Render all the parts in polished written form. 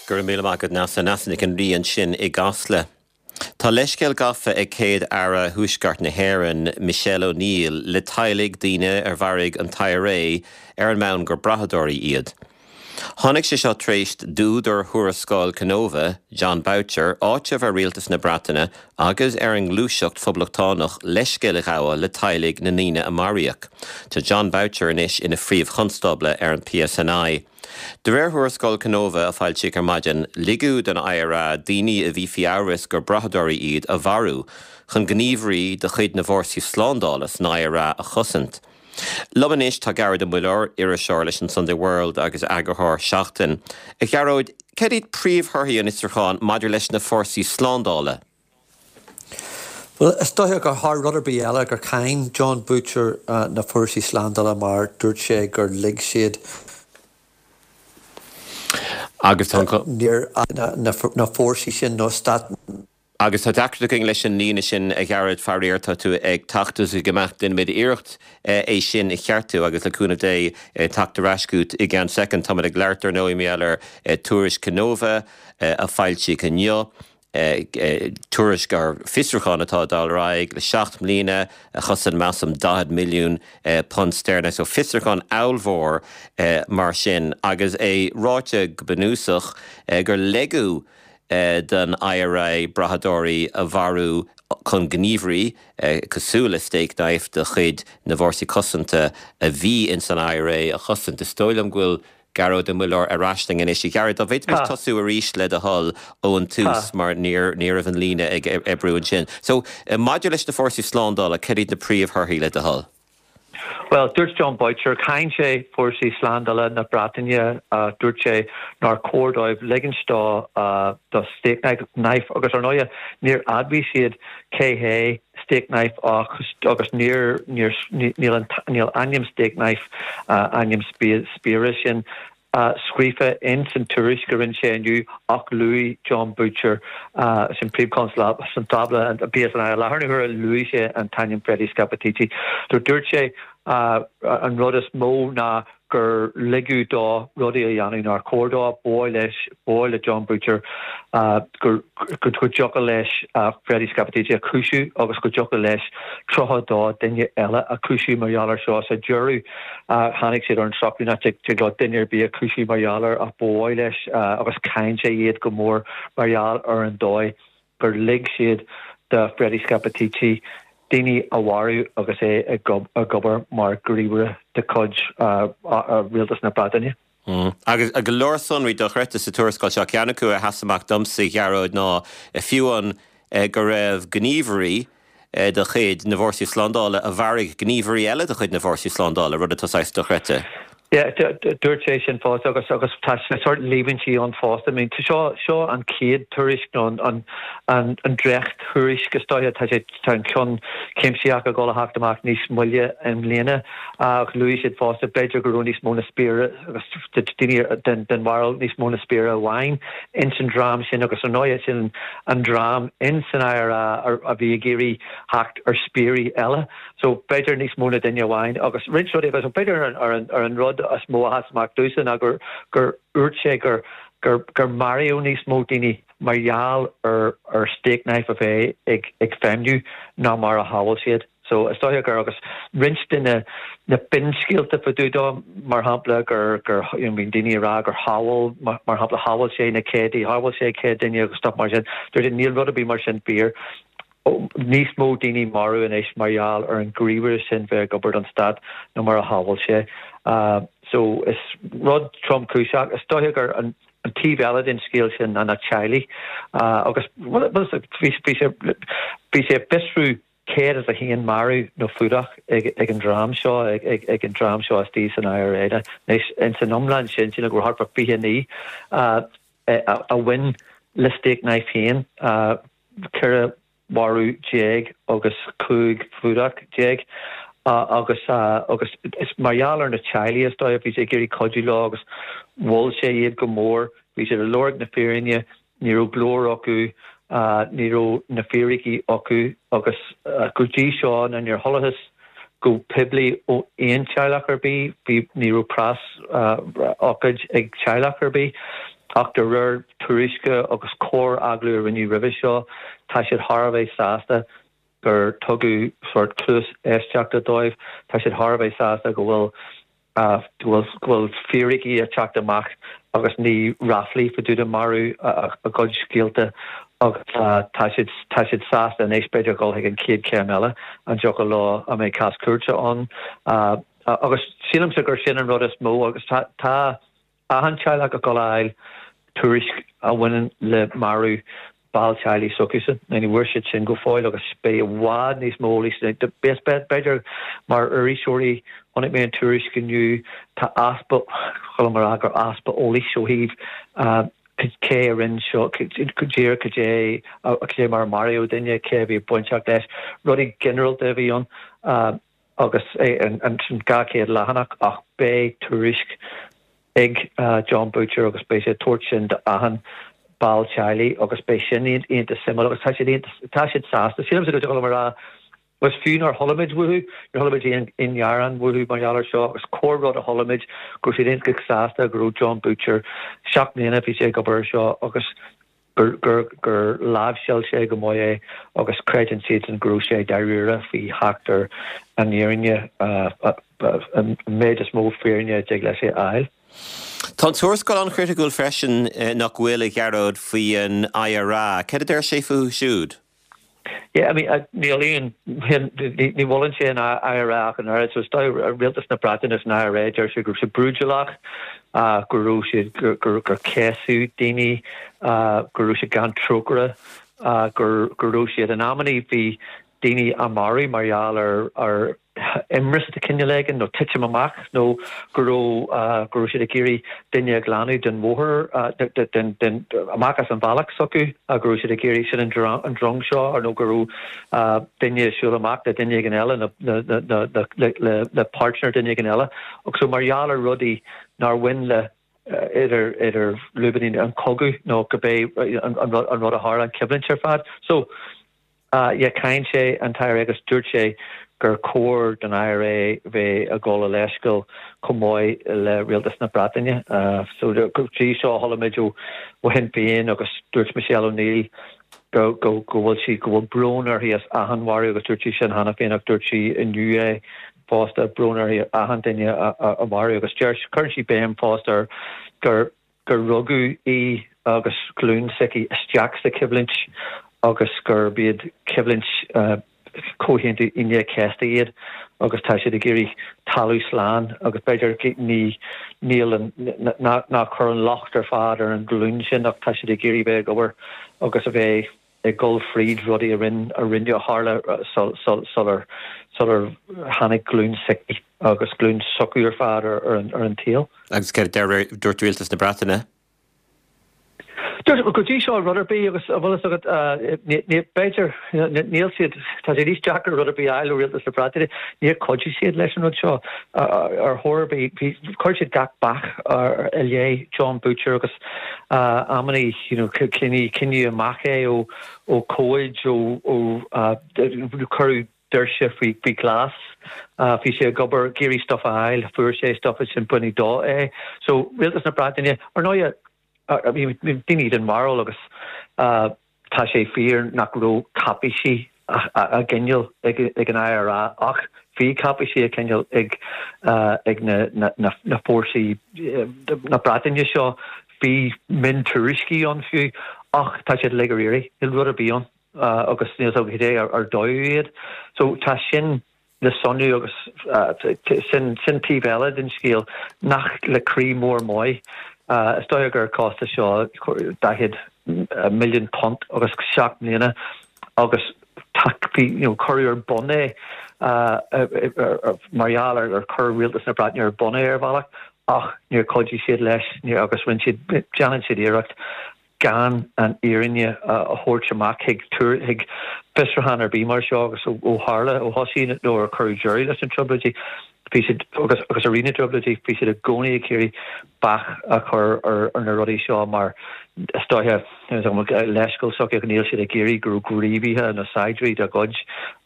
Go raibh míle maith agat Neasa. Neasa Nic an Rí ansin i gCasla. Tá leithscéal gafa ag Céad-Aire Thuaisceart na hÉireann, Michelle O'Neill, le teaghlaigh daoine ar mharaigh an t-IRA ar an mbonn gur brathadóirí iad. Tháinig sé seo tar éis d'údar Thuarascáil Kenova, Jon Boutcher, áiteamh ar Rialtas na Breataine agus ar an ngluaiseacht phoblachtánach leithscéal a ghabháil le teaghlaigh na ndaoine a maraíodh. Tá Jon Boutcher anois ina Phríomh-Chonstábla ar an PSNI. De réir Thuarascáil Kenova a foilsíodh ar maidin, ligeadh don IRA daoine a bhí faoi amhras gur brathadóirí iad a mharú chun gníomhairí de chuid na bhfórsaí slándála san IRA a chosaint. Liom anois tá Gearóid Ó Muilleoir, iriseoir leis an Sunday World agus eagarthóir Seachtain. A Ghearóid, céard iad príomhthorthaí an fhiosrúcháin maidir leis na fórsaí slándála? Bhuel, is dóiche gur thar rud ar bith eile gur cháin Jon Boutcher na fórsaí slándála mar dúirt sé gur lig siad Agus tá an. Níor na fórsaí sin nó stát. Agus tá deacracht againn leis an líne sin, a Ghearóid, faraor, tá tú ag teacht is ag imeacht. Déanfaimid iarracht é sin a cheartú agus le cúnamh Dé teacht ar ais chugat i gceann soicind. Táimid ag labhairt ar ndóigh mar gheall ar tuairisc Kenova a foilsíodh inniu. tuairisc ar fiosrúchán atá ag dul ar aghaidh le 7 mbliana, a chosain measaim £40 milliún steirling. So fiosrúchán ollmhór mar sin agus é ráite go bunúsach gur ligeadh don IRA brathadóirí a mharú chun gníomhairí cosúil le Stakeknife de chuid na bhfórsaí cosanta a bhí ins an IRA a chosaint. Is dóigh liom go bhfuil Gearóid Ó Muilleoir ar ais linn anois. A Ghearóid, dá bhféadfaimis tosú arís le do thoil ón tús mar ní raibh an líne ag oibriú ansin. So, maidir leis na fórsaí slándála, cad iad na príomhthorthaí le do thoil? Bhuel, dúirt Jon Boutcher, cháin sé fórsaí slándála na Breataine, dúirt sé nár chóir dóibh ligint do do Stakeknife agus ar ndóighe níor admhaigh siad cé hé Stakeknife agus níor, níor, níl an, níl ainm Stakeknife, ainm spiaire sin, scríofa ins an tuairisc a rinne sé inniu ach luaigh Jon Boutcher, sin Príomh-Chonstábla an PSNI i láthair na huaire, luaigh sé an t-ainm Freddie Scappaticci. So dúirt sé an rud is mó ná gur ligeadh dó rudaí a dhéanamh nár chóir dó, ba mhaith leis, ba mhaith le Jon Boutcher go dtiocfadh leis Freddie Scappaticci a chúiseamh agus go dtiocfadh leis 32 duine eile a chúiseamh mar gheall air seo. Sa deireadh tháinig siad ar an socrú nach dtig leo duine ar bith a chúiseamh mar gheall air ach ba mhaith leis agus cháin sé iad go mór mar gheall ar an dóigh gur lig siad do Freddie Scappaticci daoine a mharú agus é ag obair mar ghníomhaire de chuid Rialtas na Breataine. Agus go leor sonraí dochreidte sa tuarascáil seo. Ceann acu a sheas amach domsa, a Ghearóid, ná fiú an go raibh gníomhairí de chuid na bhfórsaí slándála a mharaigh gníomhairí eile de chuid na bhfórsaí slándála, rud atá saghas dochreidte. Yeah, dúirt sé sin fosta agus agus tá sórt líomhaintí ann fosta. I mean, seo seo an chéad tuairisc nó an an an an dréacht-thuairisc is dóiche, tá sé tá an ceann cuimsitheach ag dul a theacht amach níos moille i mbliana ach luaigh siad fosta b'fhéidir go raibh níos mó na spiaire agus daoine den den bharúil níos mó na spiaire amháin ins an dream sin agus ar ndóigh sin an dream ins an IRA a bhí ag iarraidh theacht ar spiairí eile. So, b'fhéidir níos mó na duine amháin agus roinnt rudaí agus b'fhéidir ar an, ar an, ar an rud is mó a sheas amach domhsa ná gur, gur dhúirt sé gur, gur, gur maraíodh níos mó daoine mar gheall ar, ar Stakeknife a bheith ag, ag feidhmiú ná mar a shamhail siad. So, is dóiche gur, agus roinnt de na, na finscéalta fá dtaobh dó, mar shampla gur, gur, you know, bíonn daoine ag rá gur shábháil, mar, mar shampla shábháil sé na céadta, shábháil sé 100 duine agus stuff mar sin. Dúirt sé níl rud ar bith mar sin fíor. níos mó daoine marbh anois mar gheall ar an ngníomhaire sin bheith ag obair don stát ná mar a shamhail sé. So is rud tromchúiseach. Is dóiche gur an taobh eile den scéal sin ná na teaghlaigh agus bhí sé bhí sé ag fiosrú 101 marú nó fuadach ag an dream seo ag an dream seo istigh san IRA. Anois ins an iomlán sin sílim go raibh thart fá 29 a bhain le Stakeknife féin. 14 mharú agus 15 fuadach agus agus is mar gheall ar na teaghlaigh is dóigh, bhí sé ag iarraidh cuidiú leo agus mhol sé iad go mór, bhí siad ag lorg na fírinne, ní raibh glór acu, ní raibh na fíricí acu agus go dtí seo ná níor chualathas go poiblí ó aon teaghlach ar bith, bhí, ní raibh preas ócáid ag teaghlach ar bith. Ach de réir tuairisce agus corr-agallamh a rinneadh roimhe seo, tá siad thar a bheith sásta gur tugadh sórt cluas éisteachta dóibh. Tá siad thar a bheith sásta go bhfuil go bhfuil fíricí ag teacht amach agus ní ráflaí fá dtaobh de marú a gcuid scéalta agus tá siad tá siad sásta anois b'fhéidir dhul chuig an chéad chéim eile, an dtiocfadh leo an mbeidh cás cúirte ann agus sílimse gur sin an rud is mó agus tá tá achan teaghlach ag dul a fháil tuairisc a bhaineann le marú ball teaghlaigh s'acusan. Ní bhfuair siad sin go fóill agus beidh i bhfad níos mó eolais. B'fhéidir mar iriseoirí, chonaic mé an tuairisc inniu, tá easpa, chuala mé rá gur easpa eolais ó thaobh cé a rinne seo, díreach cad é, cad é mar a maraíodh duine, cé a bhí bainteach leis, rudaí ginearálta a bhí ann agus an 200 leathanach ach beidh tuairisc ag Jon Boutcher agus beidh sé ag tabhairt sin d'achan ball teaghlaigh agus beidh sin iontach suimiúil agus tá siad iontach, tá siad sásta. Sílimse go dtig liom a rá, agus fiú nár chuala muid uathu, níor chuala muid aon aon ghearán uathu mar gheall air seo agus corr-rud a chuala muid go raibh siad iontach sásta go raibh Jon Boutcher, 7 mbliana a bhí sé ag obair air seo agus gur gur gur láimhseáil sé go maith é agus creideann siadsan go raibh sé dáiríre faoi theacht ar an fhírinne, an méid is mó fírinne a dtig leis a fháil. Tá an tuarascáil an-chriticiúil freisin, nach bhfuil, a Ghearóid, faoi an IRA. Céard a deir sé fúthu siúd? Yeah, I mean, níl aon, ní mholann sé an IRA ach an oiread, so is dóigh Rialtas na Breataine is an IRA, deir sé go raibh sé brúidiúlach, go raibh siad, gur céasadh daoine, go raibh siad gan trócaire, gur, go raibh siad, in amannaí bhí daoine á marú mar gheall ar, ar imreas de chineál éigin nó titim amach nó go raibh go raibh siad ag iarraidh duine a ghlanadh den bhóthar, den, den, amach as an bhealach s'acu, go raibh siad ag iarraidh sin an an drong seo ar nó go raibh duine ag siúl amach le duine éigin eile nó le le le páirtnéir duine éigin eile. Agus so mar gheall ar rudaí nár bhain le idir idir lúibíní an cogadh nó cibé an an rud an rud a tharla an choimhlint ar fad. So Yeah, cháin sé an t-IRA agus dúirt sé gur chóir don IRA bheith ag gabháil a leithscéal chomh maith le Rialtas na Breataine. So go dtí seo chuala muid ó Shinn Féin agus dúirt Michelle O'Neill go go go bhfuil sí go bhfuil brón uirthi as achan mharú agus dúirt sí sin cheana féin ach dúirt sí inniu é fosta brón uirthi achan duine a a maraíodh agus deir cuireann sí béim fosta ar gur gur rugadh í agus glúin s'aici isteach sa choimhlint agus gurb iad coimhlint Chomhaontú Aoine an Chéasta iad agus tá siad ag iarraidh talamh slán agus b'fhéidir ní níl an ná cuir an locht ar fad ar an ghlúin sin ach tá siad ag iarraidh bheith ag obair agus a bheith ag dul fríd rudaí a rinne a rinne a tharla sular sular tháinig glúin s'aici agus glúin s'acu ar fad ar an ar an tsaol. Agus céard a dúirt Rialtas na Breataine? Dúirt go dtí seo rud ar bith agus an bhfuil fhios agat b'fhéidir níl siad tá sé níos deacra rud ar bith a fháil ó Rialtas na Breataine níor chuidigh siad leis an rud seo ar chor ar bith bhí chuir siad gach bac i leith Jon Boutcher agus amannaí you know coinníodh coinníodh amach é ó ó comhaid ó ó cuireadh doirse faoi faoi ghlas. Bhí sé ag obair ag iarraidh stuff a fháil, fuair sé stuff ansin baineadh dó é. So Rialtas na Breataine, ar ndóighe bhí daoine den bharúil agus tá sé fíor nach raibh cáipéisí á gcoinneáil ag an IRA ach bhí cáipéisí á gcoinneáil ag ag na na fórsaí na Breataine seo, bhí miontuairiscí ann fiú ach tá siad uilig ar iarraidh, níl rud ar bith ann. agus níl 's agam cad é ar dódh iad. So tá sin le sonrú agus sin sin taobh eile den scéal nach le croí mór maith. Is dóigh gur chostais seo £40 milliún agus 7 mbliana agus tá bhí you know cuireadh ar bun é mar gheall ar ar chuir rialtas na Breataine ar bun é ar bhealach ach níor chuidigh siad leis agus rinne siad déanann siad iarracht gan an fhírinne a thabhairt amach chuig chuig fiosrúchán ar bith mar seo agus ó tharla, ó thosaigh nó ar cuireadh deireadh leis na Trioblóidí, bhí siad, agus agus i rith na dTrioblóidí, bhí siad i gcónaí ag iarraidh bac a chur ar ar na rudaí seo mar is dóiche, leithscéal s'acu ach níl siad ag iarraidh go raibh gníomhaithe nó saighdiúirí dá gcuid.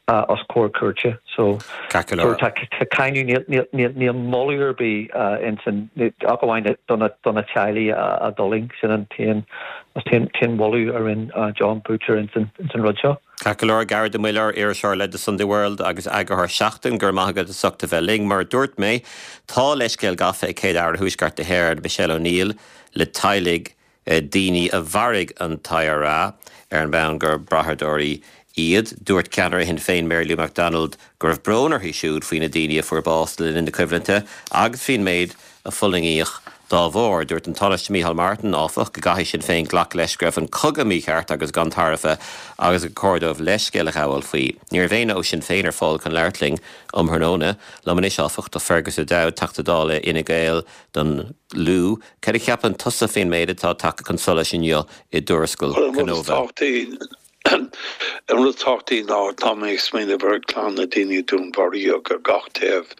Os comhair cúirte. So Ceart go leor. tá cáineadh, níl, níl, níl moladh ar bith insan, ach amháin do na, do na teaghlaigh a d'fhulaing, sin an t-aon, an t-aon mholadh a rinne Jon Boutcher insan, insan rud seo. Ceart go leor, Gearóid Ó Muilleoir, iriseoir le The Sunday World agus eagarthóir Seachtain, go raibh maith agat as ucht a bheith linn. Mar a dúirt mé, tá leithscéal gafa ag Céad-Aire Thuaisceart na hÉireann, Michelle O'Neill, le teaghlaigh daoine a mharaigh an t-IRA ar an mbonn gur brathadóirí iad. Dúirt ceannaire Shinn Féin Mary Lou McDonald go raibh brón uirthi siúd faoi na daoine a fuair bás le linn na coimhlinte agus faoin méid a fulaingíodh dá bharr. Dúirt an Tánaiste Micheál Martin, áfach, go gcaithfidh Sinn Féin glacadh leis go raibh an cogadh mícheart agus gan tairbhe agus gur cóir dóibh leithscéal a ghabháil faoi. Ní raibh éinne ó Shinn Féin ar fáil chun labhairt linn um thráthnóna. Liom anois, áfach, tá Fergus O'Dowd, Teachta Dála Fhine Gael don Lú. Cad a cheapann tusa faoin méid atá tagtha chun solais inniu i dtuarascáil Kenova? An rud is tábhachtaí ná tá mé ag smaoineamh ar chlann na daoine a dúnmharaíodh ar gach taobh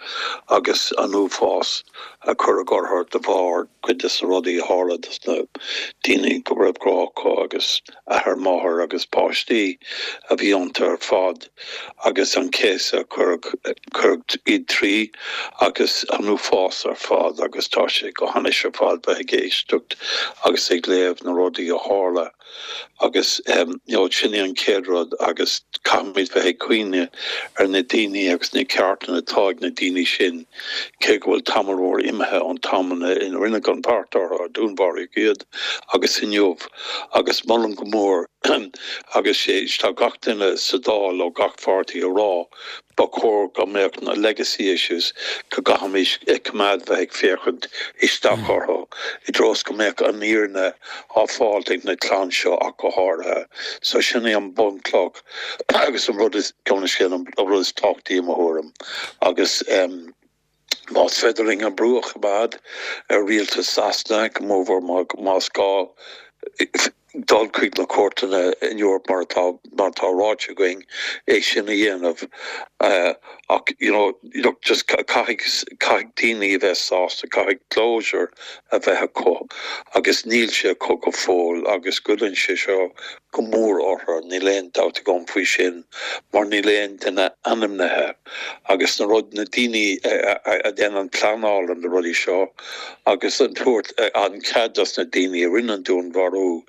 agus an uafás a cuireadh orthu de bharr cuid de na rudaí a tharla dos na daoine go raibh grá acu agus athair, máthair agus páistí a bhí iontu ar fad. agus an céasadh a cuireadh iad trí agus an uafás ar fad agus tá sé go hainnis ar fad bheith ag éisteacht agus ag léamh na rudaí a tharla agus you know sin é an chéad rud agus caithfimid bheith ag cuimhneamh ar na daoine agus na ceartanna atá ag na daoine sin cé go bhfuil tamall mór imithe ón t-am ina rinneadh an beart orthu a dúnmharaíodh iad agus inniu agus molaim go mór agus sé tá gach duine sa Dáil ó gach pháirtí ag rá ba chóir go mbeadh na legacy issues go gcaithfimis coimeád bheith ag féachaint isteach orthu i dtreo is go mbeadh an fhírinne á fáilt ag na clann seo ach go háirithe. So sin é an bunchloch agus an rud is, an rud is tábhachtaí i mo thuairim agus. Más féidir linn an brú a choimeád ar rialtas Sasana, go mórmhór más gá dul chuig na cúirteanna in Eoraip mar atá mar atá ráite againn, é sin a dhéanamh. Ach you know look just caithfidh caithfidh daoine a bheith sásta, caithfidh closure a bheith acu agus níl sé acu go fóill agus goilleann sé seo go mór orthu, níl aon dabht agam faoi sin mar níl aon duine ainmnithe agus na rud, na daoine a dhéanann pleanáil ar na rudaí seo agus an tabhairt an cead dos na daoine a rinne an dúnmharú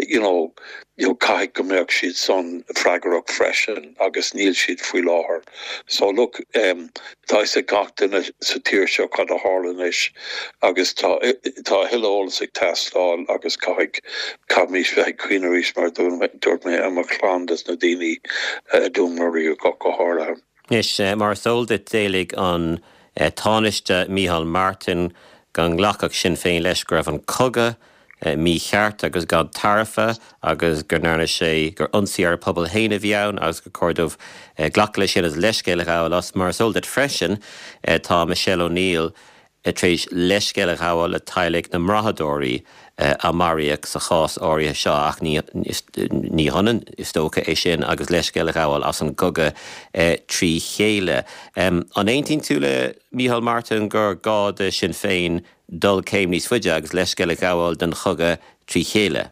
you know, you know caithfidh go mbeadh siad san freagrach freisin agus níl siad faoi láthair. So look, em, tá fhios ag gach duine sa tír seo cad a tharla anois agus tá, tá a thuilleadh eolas ag teastáil agus caithfidh, caithfimís bheith ag cuimhneamh arís mar a dúirt mé ar mo chlann dos na daoine a dúnmharaíodh ach go háirithe. Anois, mar is eol duit, d'éiligh an Tánaiste Micheál Martin go nglacfadh Sinn Féin leis go raibh an cogadh mícheart agus gan tairbhe agus go ndearna sé, gur ionsaí ar a pobal féin a bhí ann agus gur chóir dóibh glacadh leis sin agus leithscéal a ghabháil as. Mar is eol duit freisin, tá Michelle O'Neill tar éis leithscéal a ghabháil le teaghlaigh na mbrathadóirí a maraíodh sa chás áirithe seo ach ní hionann, is dócha, é sin agus leithscéal a ghabháil as an gcogadh trí chéile. An aontaíonn tú le Micheál Martin gur gá do Shinn Féin dul céim níos faide agus leithscéal a ghabháil don chogadh trí chéile.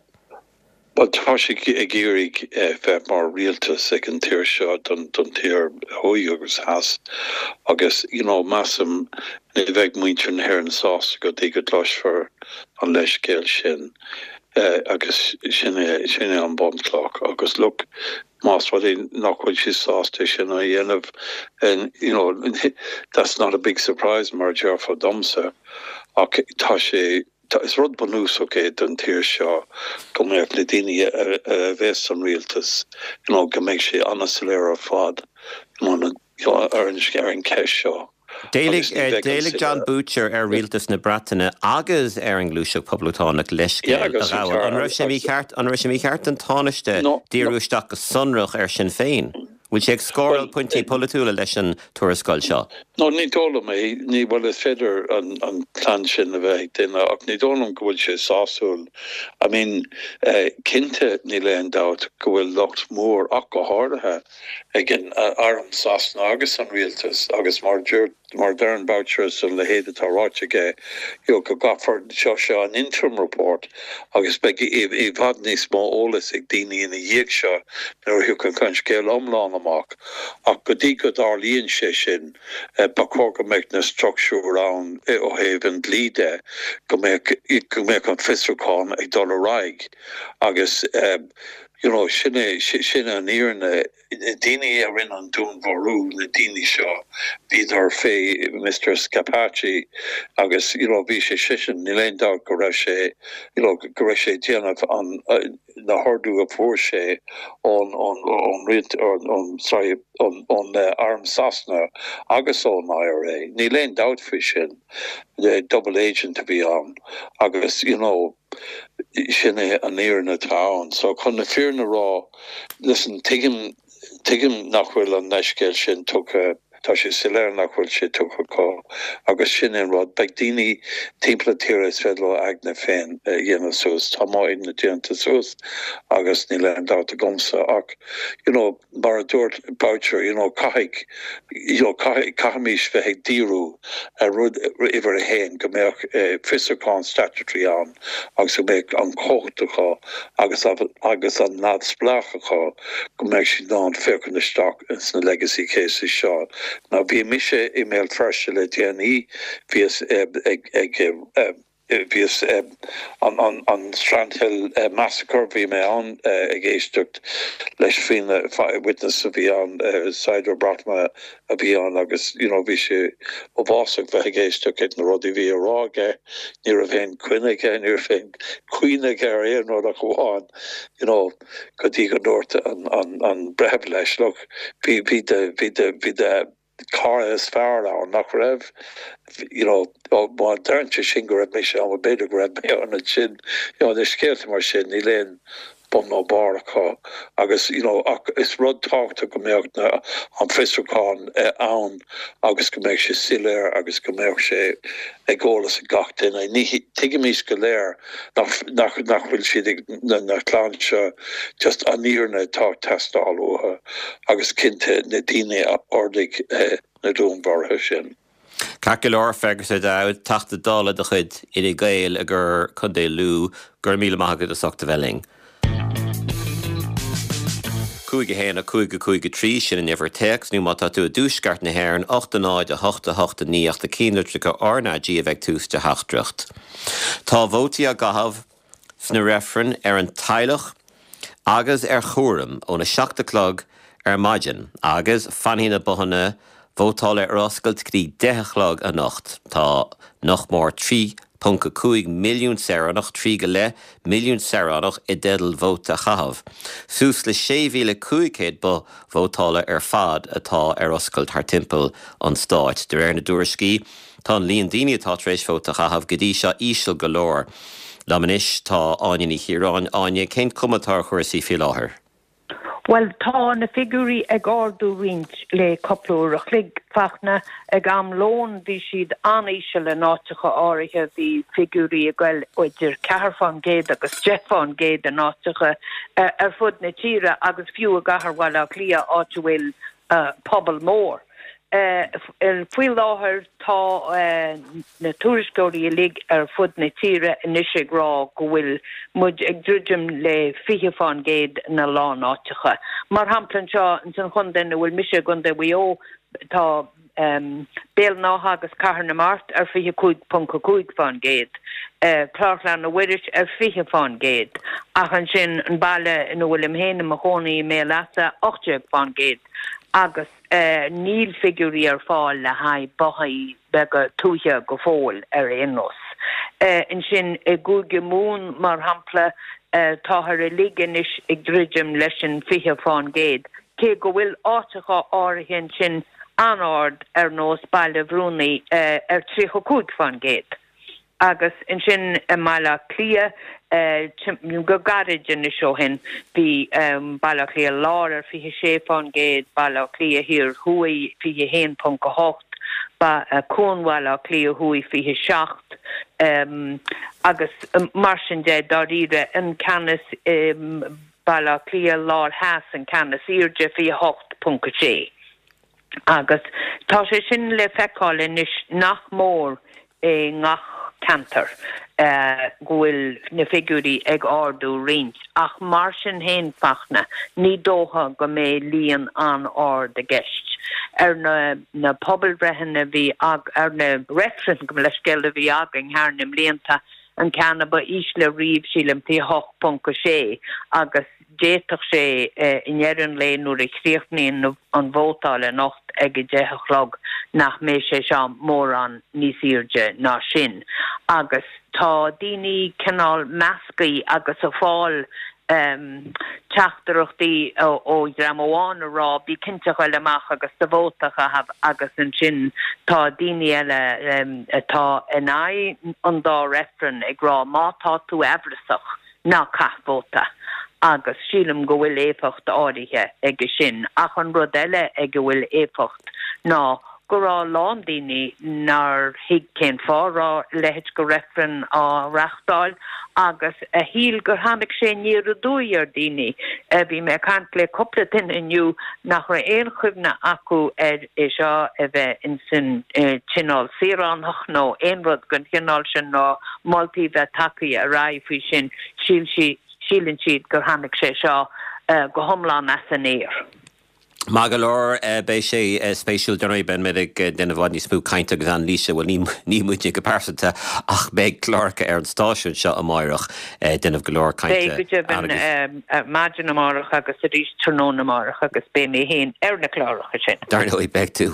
Bhuel, tá siad ag iarraidh bheith mar rialtas ag an tír seo, don tír thuaidh agus theas, agus you know measaim ní bheidh muintir na hÉireann sásta go dtí go gcloisfear an leithscéal sin agus sin é, sin é an bunchloch agus look, más rud é nach bhfuil siad sásta é sin a dhéanamh, you know, that's not a big surprise mar a déarfá domsa, ach tá sé, is rud bunúsach é don tír seo go mbeadh na daoine a bheas san rialtas, you know, go mbeidh sé an-soiléir ar fad, you know, ar an cheist seo. D'éiligh Jon Boutcher ar rialtas na Breataine agus ar an nGluaiseacht Poblachtánach leithscéal a ghabháil. An raibh sé mícheart, an raibh sé mícheart don Tánaiste díriú isteach go sonrach ar Shinn Féin? Bhfuil sé ag scóráil pointí polaitiúla leis an tuarascáil seo? No, ní dóigh liom é. Ní, bhuel, is féidir an plean sin a bheith ag duine ach ní dóigh liom go bhfuil sé sásúil. I mean, cinnte níl aon dabht go bhfuil locht mór ach go háirithe ag an arm Sasana agus an rialtas agus mar a dúirt. Mar a deireann Boucher is a leithéid atá ráite aige, you know, go gcaithfear, seo, seo an interim report agus beidh i bhfad níos mó eolas ag daoine ina dhiaidh seo nuair a thiocfaidh an scéal iomlán amach. Ach go dtí go dtarlaíonn sé sin, ba chóir go mbeadh na struchtúir ann ó thaobh an dlí de, go mbeadh, go mbeadh an fiosrúchán ag dul ar aghaidh agus, you know, sin é, sin an fhírinne. Na daoine a rinne an dúnmharú, na daoine seo, bhíodar fé Mister Scapaci agus you know bhí sé seisean, níl aon dabht go raibh sé you know go raibh sé ag déanamh an na hordú a fuair sé ón ón ón rialt ón sorry ón ón arm Sasana agus ón IRA. Níl aon dabht faoi sin. Double agent a bhí ann agus you know Sin é an fhírinne atá ann. So, chun na fírinne a rá, listen, tuigim, tuigim nach bhfuil an leithscéal sin tugtha, tá sé soiléir nach bhfuil sé tugtha acu agus sin é an rud. Beidh daoine timpeall na tíre is féidir leo a aigne féin a dhéanamh suas. Tá m'aigne déanta suas agus níl aon dabht agamsa ach, you know, mar a dúirt Boucher, you know, caithfidh, you know, caithfidh, caithfimís bheith ag díriú ar rud uimhir a haon, go mbeadh fiosrúchán statutory ann agus go mbeadh an chumhacht acu agus agus an neamhspleách acu go mbeadh siad in ann féachaint isteach ins na legacy cases seo. Now bhí mise i mBéal Feirste le déanaí, bhíos ag, ag, ag, Bhíos an Strandhill Massacre, bhí mé ann ag éisteacht leis faoina witness a bhí ann, saighdiúir Breatnaise a bhí ann agus you know bhí sé uafásach bheith ag éisteacht ag na rudaí a bhí á rá aige, ní raibh aon chuimhne aige, ní raibh aon chuimhne aige ar aon rud ach amháin you know go dtí go ndúirt an breitheamh leis, look, bhí, bhí do, bhí do, bhí do, cara is fearr ann, nach raibh? You know, má deireann sé sin go raibh mise ann, bhuel b'fhéidir go raibh mé ann ansin. You know, na scéalta mar sin, níl aon bun nó barr acu agus, you know, ach is rud tábhachtach go mbeadh na, an fiosrúchán ann agus go mbeadh sé soiléir agus go mbeadh sé ag eolas ag gach duine. Ní, tuigimís go léir nach, nach, nach bhfuil siad ag, na, na clann seo, just an fhírinne atá ag teastáil uathu agus cinnte na daoine a ordaigh na dúnmharuithe sin. Ceart go leor, Fergus O'Dowd, Teachta Dála de chuid Fhine Gael i gContae Chontae Lú, go raibh míle maith agat as ucht a bheith linn. 5 1 5 5 3, sin an uimhir téacs, nó má tá tú i dtuaisceart na hÉireann, 8 0 8 8 9 ach na cinnlitreacha RnaG a bheith ag tús do theachtaireacht. Tá vótaí á gcaitheamh sna reifrinn ar an teaghlach agus ar chúram óna 7 a chlog ar maidin agus fanfaidh na bothanna vótála ar oscailt go dtí 10 a chlog anocht. Tá nach mór 3.5 milliún saoránach, 3 go leith milliún saoránach, i dteideal vóta a chaitheamh. Suas le 6,500 both vótála ar fad atá ar oscailt thar timpeall an stáit. De réir na dtuairiscí, Tá an líon daoine atá tar éis vóta a chaitheamh go dtí seo íseal go leor. Liom anois tá Áine Ní Chiaráin. Áine, cén cuma atá ar chúrsaí faoi láthair? Bhuel, tá na figiúirí ag ardú roinnt le cúpla uair a chloig, Fachtna. Ag am lóin bhí siad an-íseal in áiteacha áirithe, bhí figiúirí ag goil idir 4% agus 10% in áiteacha ar fud na tíre agus fiú i gcathair Bhaile Átha Cliath, áit a bhfuil pobal mór. Faoi láthair tá na tuairisceoirí uilig ar fud na tíre anois ag rá go bhfuil muid ag druidim le 20% ina lán áiteacha. Mar shampla anseo ins an chontae ina bhfuil mise, i gContae Mhaigh Eo, tá Béal an Átha agus Cathair na Mart ar 25.5%, Clár Chlainne Mhuiris ar 20% ach ansin an baile ina bhfuilim féin i mo chónaí i mBéal Easa 18% agus níl figiúirí ar fáil le haghaidh bothaí beaga tuaithe go fóill ar aon nós. Ansin i gCúige Mumhan mar shampla táthar uilig anois ag druidim leis an 20%. Cé go bhfuil áiteacha áirithe ansin an-ard ar nós Baile Bhrúnaí ar 35%. Agus ansin i mBaile Átha Cliath, go gairid anois ó shin, bhí Baile Átha Cliath Láir ar 26%, Baile Átha Cliath Thiar Thuaidh 21.8, Cuan Bhaile Átha Cliath Thuaidh 27 agus mar sin de, dáiríre, an ceann is. Baile Átha Cliath Láir Theas an ceann is airde, 28.6. Agus tá sé sin le feiceáil anois nach mór i ngach ceantar go bhfuil na figiúirí ag ardú roinnt, ach mar sin féin, Fachtna, ní dócha go mbeidh líon an-ard i gceist. Ar na na pobalbhreitheanna a bhí ag, ar na reifrinn, gabh mo leithscéal, a bhí againn thar na mblianta, an ceann a ba ísle riamh, sílim, 28.6 agus D'fhéadfadh sé, i ndeireadh an lae nuair a chríochnaíonn an vótáil anocht ag 10 a chlog, nach mbeidh sé seo mórán níos airde ná sin. Agus tá daoine cineál meascaí agus ag fáil teachtaireachtaí ó dhream amháin a rá bí cinnte a ghoil amach agus do vóta a chaitheamh agus ansin tá daoine eile atá in aghaidh an dá reifreann ag rá má tá tú aimhreasach ná caith vóta agus sílim go bhfuil éifeacht áirithe aige sin. Ach an rud eile ag a bhfuil éifeacht ná go raibh a lán daoine nár thuig cén fáth a raibh a leithéid de reifreann á reáchtáil agus a shíl gur tháinig sé aniar aduaidh ar dhaoine. Bhí mé ag caint le cúpla duine inniu nach raibh aon chuimhne acu ar é seo a bheith insan Tionól Saoránach nó aon rud den chineál sin nó moltaí bheith tagtha ar aghaidh faoi sin, shíl sí, síleann siad gur tháinig sé seo go hiomlán as an aer. Maith go leor, beidh sé spéisiúil, dar ndóigh, beidh muid ag déanamh i bhfad níos mó cainte agus anailíse, bhuel ní, ní muidne go pearsanta ach beidh cláracha ar an stáisiún seo amáireach ag déanamh go leor cainte. Beidh go deimhin, maidin amárach agus arís tráthnóna amárach agus beidh mé féin ar na cláracha sin. Dar ndóigh beidh tú.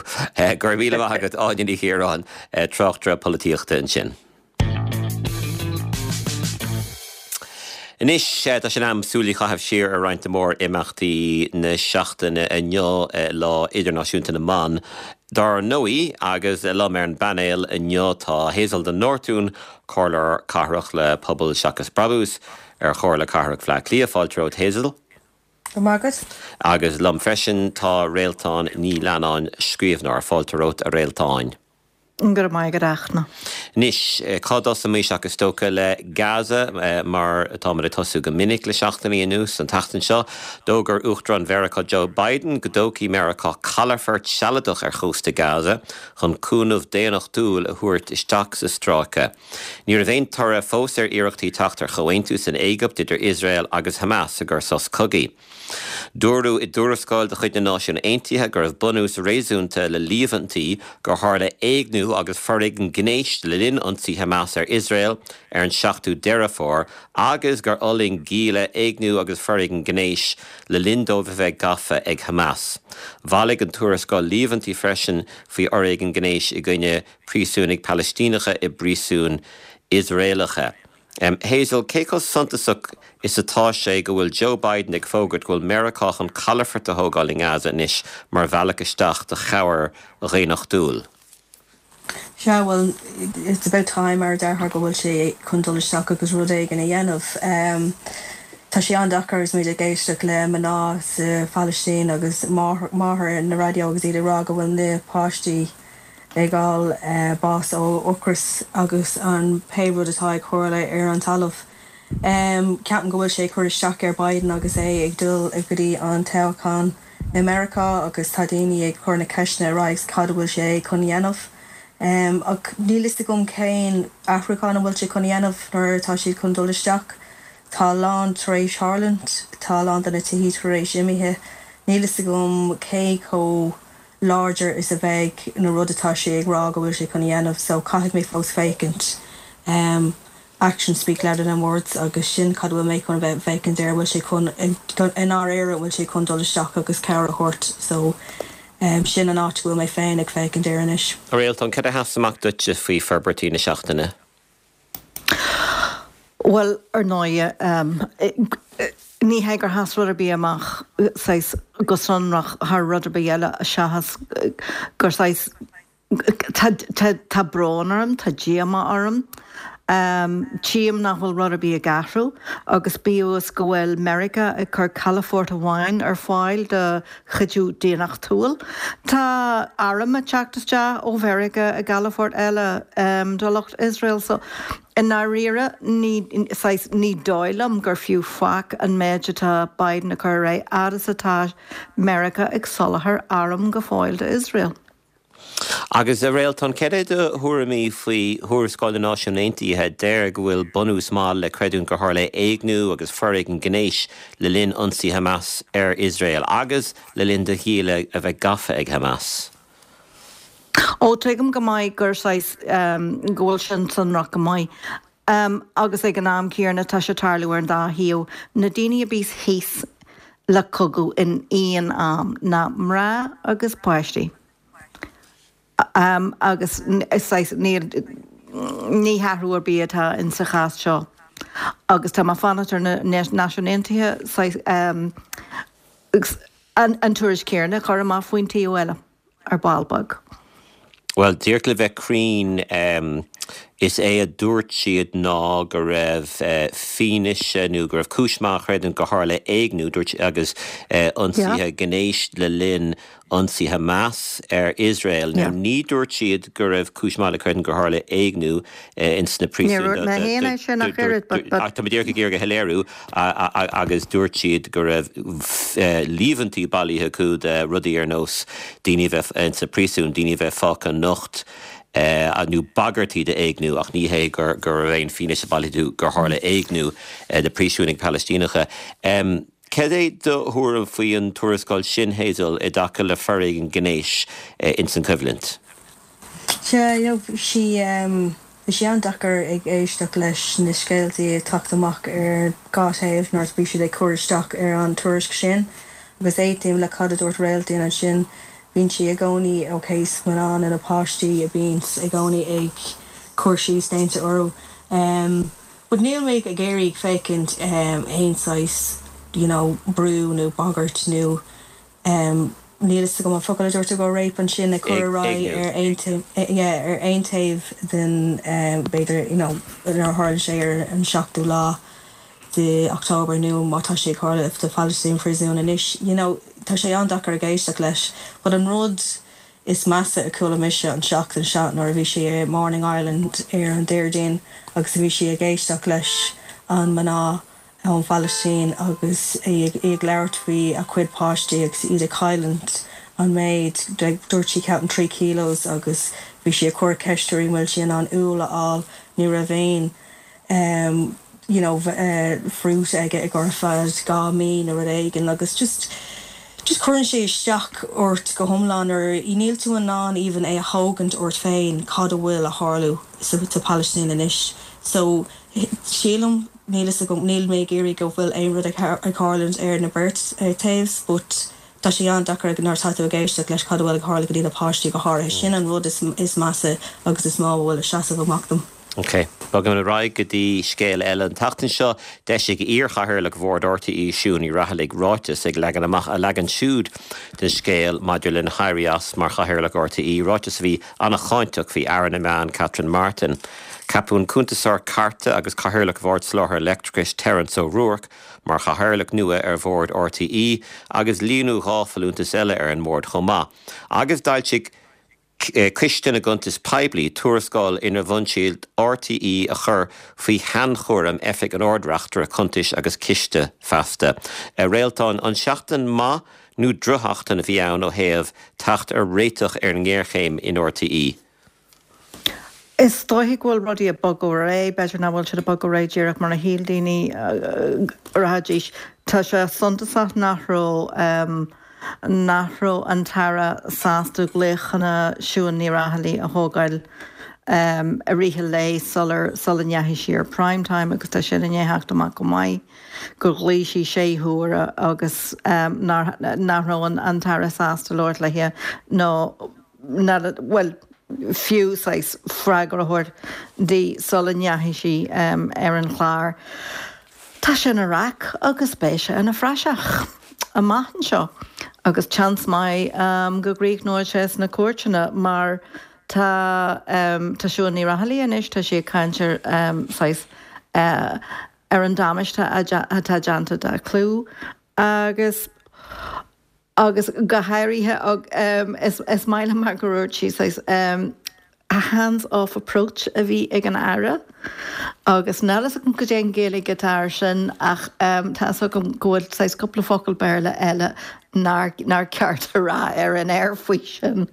Go raibh míle maith agat, Áine Ní Chiaráin, tráchtaire polaitíochta ansin. Anois, tá sé in am súil a chaitheamh siar ar roinnt de mhór-imeachtaí na seachtaine. Inniu Lá Idirnáisiúnta na mBan, dar ndóigh, agus liom ar an bpainéal inniu tá Hazel de Nortún, Comhairleoir Cathrach le Pobal Seachas Brabús ar Chomhairle Cathrach Bhaile Átha Cliath. Fáilte romhat, Hazel. Go raibh maith agat. Agus liom freisin tá Réaltán Ní Leannáin, scríbhneoir. Fáilte romhat, a Réaltáin. Go raibh maith agat, a Fhachtna. Anois, cá dtosóimis ach is dócha le Gaza, mar atáimid ag tosú go minic le seachtainí anuas. An tseachtain seo, d'fhógair Uachtarán Mheiriceá Joe Biden go dtógfaidh Meiriceá calafort sealadach ar chósta Gaza chun cúnamh daonnachtúil a thabhairt isteach sa stráice. Ní raibh aon toradh fós ar iarrachtaí teacht ar chomhaontú san Éigipt idir Iosrael agus Hamas i gcur sos cogaidh. Dúradh i dtuarascáil de chuid na Náisiún Aontaithe go raibh bunús réasúnta le líomhaintí gur tharla éigniú agus foréigean gnéis le linn ionsaí Hamas ar Iosrael ar an 7ú Deireadh Fómhair agus gur fhulaing gialla éigniú agus foréigean gnéis le linn dóibh a bheith gafa ag Hamas. Bhailigh an tuarascáil líomhaintí freisin faoi fhoréigean gnéis i gcoinne príosúnaigh Palaistíneacha i bpríosúin Iosraelacha. Hazel, cé chomh suntasach is atá sé go bhfuil Joe Biden ag fógairt go bhfuil Meiriceá chun calafort a thógáil i nGaza anois mar bhealach isteach do chabhair dhaonnachtúil? Sea, bhuel, it's about time, mar a déarfá, go bhfuil sé chun dul isteach agus rud éigin a dhéanamh. Tá sé an-deacair agus muid ag éisteacht le mná sa Phalaistín agus máthair ar an raidió agus iad ag rá go bhfuil na páistí ag fháil bás ó ocras agus an pé rud atá ag tarlú ar an talamh. Ceapaim go bhfuil sé ag cur isteach ar Biden agus é ag dul go dtí an toghchán i Meiriceá agus tá daoine ag cur na ceisteanna ar aghaidh cad a bhfuil sé chun dhéanamh. Ach níl fhios agam cén athrúchán a bhfuil sé chun dhéanamh nuair atá siad chun dul isteach. Tá a lán tar éis tharlúint, tá a lán de na tithí tar éis imithe. Níl fhios agam cé chomh láidir is a bheidh na rud atá sé ag rá go bhfuil sé chun a dhéanamh so caithfidh mé fós féachaint em actions speak louder than words agus sin cad a bhfuil mé chun a bheith féachaint air bhfuil sé chun i ndáiríre an bhfuil sé chun dul isteach agus cabhair a thabhairt so em sin an áit go bhfuil mé féin ag féachaint air anois. A Réaltán, cad a sheas amach duitse faoi forbairtí na seachtaine? Bhuel, ar ndóighe, ní hé gur sheas rud ar bith amach saghas go sonrach thar rud ar bith eile seachas gur saghas, tá, tá, tá brón orm, tá díomá orm. Tchím nach bhfuil rud ar bith ag athrú agus bíodh is go bhfuil Meiriceá ag cur calafort amháin ar fáil do chuidiú daonnachtúil, tá airm ag teacht isteach ó Mheiriceá i gcalafort eile do lucht Iosrael. So, i ndáiríre, ní, saghas, ní dóigh liom gur fiú faic an méid atá Biden ag cur ar aghaidh fhad is atá Meiriceá ag soláthar arm go fóill d'Iosrael. Agus, a Réaltán, céard é do thuairimí faoi thuarascáil na Náisiún Aontaithe a deir go bhfuil bunús maith le creidiúint gur tharla éigniú agus foréigean gnéis le linn ionsaí Hamas ar Iosrael agus le linn do ghialla a bheith gafa ag Hamas? Ó, tuigim go maith gur saghas, go bhfuil sin sonrach go maith. Agus ag an am céanna tá sé ag tarlú ar an dá thaobh. Na daoine a bíos thíos le cogadh in aon am ná mná agus páistí. Agus saghas níl, ní hathrú ar bith atá in sa chás seo. Agus tá mé ag fanacht ar na Náisiúin Aontaithe saghas an tuairisc chéanna a chur amach faoin taobh eile. ar ball beag. Bhuel, díreach le bheith cruinn, is é a dúirt siad ná go raibh fianaise nó go raibh cúis mhaith a chreidiúint gur tharla éigniú, dúirt, agus ionsaithe gnéis le linn ionsaí Hamas ar Iosrael. Now, ní dúirt siad go raibh cúis mhaith le creidiúint gur tharla éigniú ins na príosúin. Níor dhúirt mé féin é sin ach oiread, but, but. Ach tá mé díreach ag iarraidh a shoiléiriú, agus dúirt siad go raibh líomhaintí bailithe acu de rudaí ar nós daoine a bheith ins na príosúin, daoine a bheith fágtha nocht, nó bagairtí d'éigniú, ach ní hé go raibh aon fianaise bailithe acu gur tharla éigniú de phríosúnaigh Phalaistíneacha. Cad é do thuairim faoi an tuarascáil sin, Hazel, i dtaca le foréigean gnéis ins an choimhlint? Sea, you know, bhí sí, bhí sé an-deacair ag éisteacht leis na scéaltaí ag teacht amach ar dhá thaobh nuair a bhí siad ag cur isteach ar an tuairisc sin. Agus aontaím le cad a dúirt Réaltán ansin, bíonn sí i gcónaí ok is mná nó na páistí a bíonns i gcónaí ag cur síos déanta orthu. But níl mé ag iarraidh féachaint aon saghas, you know, brú nó bagairt nó Níl fhios agam an focal a dúirt tú go rape ansin ag cur ar aghaidh ar aon yeah ar aon taobh den b'fhéidir you know nuair a tharla sé ar an seachtú lá de October nó má tá sé ag tarlú sa Palestine prison anois you know tá sé an-deacair ag éisteacht leis but an rud is measa a chuala mise an tseachtain seo nuair a bhí sí i Morning Ireland ar an Déardaoin agus a bhí sí ag éisteacht leis an mná ón Phalaistín agus í ag labhairt faoi a cuid páistí agus iad ag cailliúint an méid, dúirt sí ceapaim 3 kilos agus bhí sí ag cur ceist uirthi an bhfuil sí in ann úll a fháil, ní raibh aon you know fruit aige ag ar feadh 2 mí nó rud éigin agus just just cuireann sé isteach ort go hiomlán nuair níl tú in ann even é a thógaint ort féin cad a bhfuil a tharlú sa Phalaistín anois so Sílim, níl fhios agam, níl mé ag iarraidh go bhfuil aon rud ag tharlúint ar na beirt taobhs but tá sé an-deacair nuair atá tú ag éisteacht leis cad a bhfuil ag tharlú go dtí na páistí go háirithe. Sin an rud is measa agus is mó a bhfuil ag seasamh amach dom. Ok. Bogaimid ar aghaidh go dtí scéal eile. An tseachtain seo, d'eisigh iar-chathaoirleach Bhord RTÉ, Siún Ní Raghallaigh, ráiteas ag leagan amach a leagan siúd den scéal maidir lena héirí as mar chathaoirleach RTÉ, ráiteas a bhí an-cháinteach faoi Aire na Meán, Catherine Martin. Ceapadh an cuntasóir cairte agus Cathaoirleach Bhord Soláthair Leictreachais Terence O'Rourke mar chathaoirleach nua ar bhord RTÉ agus líonadh 2 folúntas eile ar an mbord chomh maith. Agus d'fhoilsigh Coiste na gCuntas Poiblí tuarascáil inar mhol siad RTÉ a chur faoi shainchúram Oifig an Ard-Reachtaire Cuntais agus Ciste feasta. A Réaltán, an seachtain maith nó drochsheachtain a bhí ann ó thaobh teacht ar réiteach ar an ngéarchéim in RTÉ? Is dóiche go bhfuil rudaí ag bogadh ar aghaidh, b'fhéidir nach bhfuil siad ag bogadh ar aghaidh díreach mar a shíl daoine go rachaidís. Tá sé suntasach nach raibh nach raibh an tAire sásta glaochanna Siún Ní Raghallaigh a thógáil i rith an lae sular sula ndeachaigh sí ar Prime Time agus tá sin i ndiaidh theacht amach go maith gur ghlaoigh sí sé huaire agus nach raibh an tAire sásta labhairt léi nó bhuel, fiú saghas freagra a thabhairt di sula ndeachaigh sí ar an chlár. Tá sé ina raic agus beidh sé ina phraiseach amach anseo agus seans maith go gcríochnóidh sé sna cúirteanna mar. Tá tá Siún Ní Raghallaigh anois, tá sí ag caint ar saghas ar an damáiste atá déanta dá clú agus agus go háirithe is is maith liom mar gur dhúirt sí saghas a hands off approach a bhí ag an Aire agus níl fhios agam cad é an Ghaeilge atá air sin ach tá fhios agam go bhfuil saghas cúpla focal Béarla eile nár nár ceart a rá ar an aer faoi sin.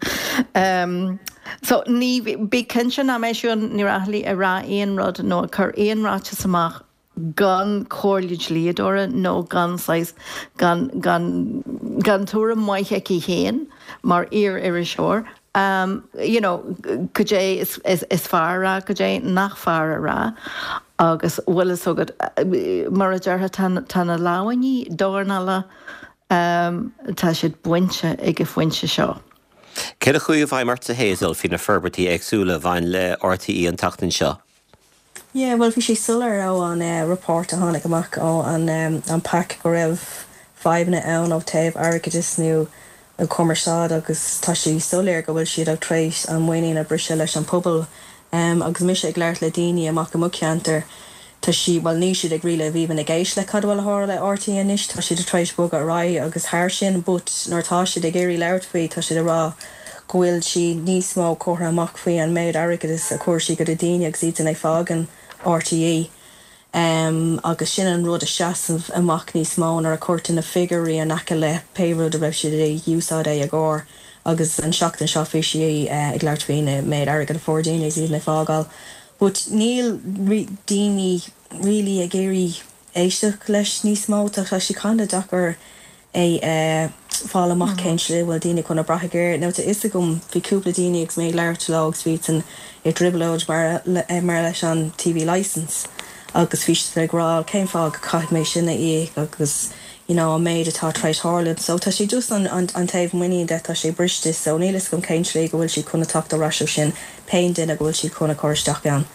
So ní, bí cinnte nach mbeidh Siún Ní Raghallaigh ag rá aon rud nó ag cur aon ráiteas amach gan comhairle dlíodóra nó gan saghas, gan, gan, gan tuairim mhaith aici féin mar iar-iriseoir, you know, cad é is, is, is fearr a rá, cad é nach fearr a rá agus bhfuil fhios agat, mar a déarfá, tá, tá na lámhainní dornála, tá siad bainte ag an phointe seo. Céard a chuaigh i bhfeidhm ortsa, Hazel, faoi na forbairtí éagsúla a bhain le RTÉ an tseachtain seo? Yeah, bhuel bhí sé soiléir ó an report a tháinig amach ó an an pac go raibh fadhbanna ann ó taobh airgeadais nó cumarsáid agus tá sé soiléir go bhfuil siad ag tar éis an muinín a briseadh leis an pobal. Agus mise ag labhairt le daoine amach i mo cheantar tá sí, bhuel níl siad ag really even ag éist le cad a bhfuil a tharla le RTÉ anois, tá siad tar éis bogadh ar aghaidh agus thar sin but nuair atá siad ag iarraidh labhairt faoi tá siad ag rá go bhfuil sí níos mó curtha amach faoi an méid airgeadas a chuir sí go do daoine agus iadsan ag fágaint RTÉ agus sin an rud a seasamh amach níos mó nuair a chuirtear na figiúirí in aice le pé rud a raibh siad ag úsáid é i gcomhair agus an seachtain seo bhí sí ag labhairt faoi na méid airgead a fuair daoine agus iad ag fágáil but níl daoine really ag iarraidh éisteacht leis níos mó tá sé kinda deacair é a fáil amach cén slí a bhfuil daoine chun a brath air. Now tá fhios agam, bhí cúpla daoine agus mé ag labhairt leo agus bhí siadsan i dtrioblóid mar mar leis an TV licence agus bhí siad ag rá cén fáth go caithfidh mé sin a íoc agus you know an méid atá tar éis tharlú. So tá sé just an an an taobh muinín de tá sé briste so níl fhios agam cén slí go bhfuil siad chun a teacht ar ais ó sin pé duine go bhfuil siad chun a chur isteach ann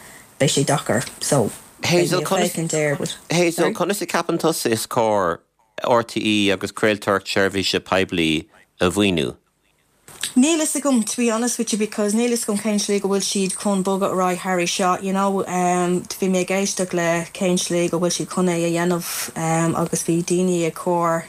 beidh sé deacair so beidh mé ag féachaint air but Hazel, sorry? conas a ceapann tusa is cóir RTÉ agus craoltóireacht seirbhíse poiblí a mhaoiniú? Níl fhios agam to be honest with you because níl fhios agam cén slí go bhfuil siad chun bogadh ar aghaidh thar é seo you know bhí mé ag éisteacht le cén slí go bhfuil siad chun é a dhéanamh agus bhí daoine ag cur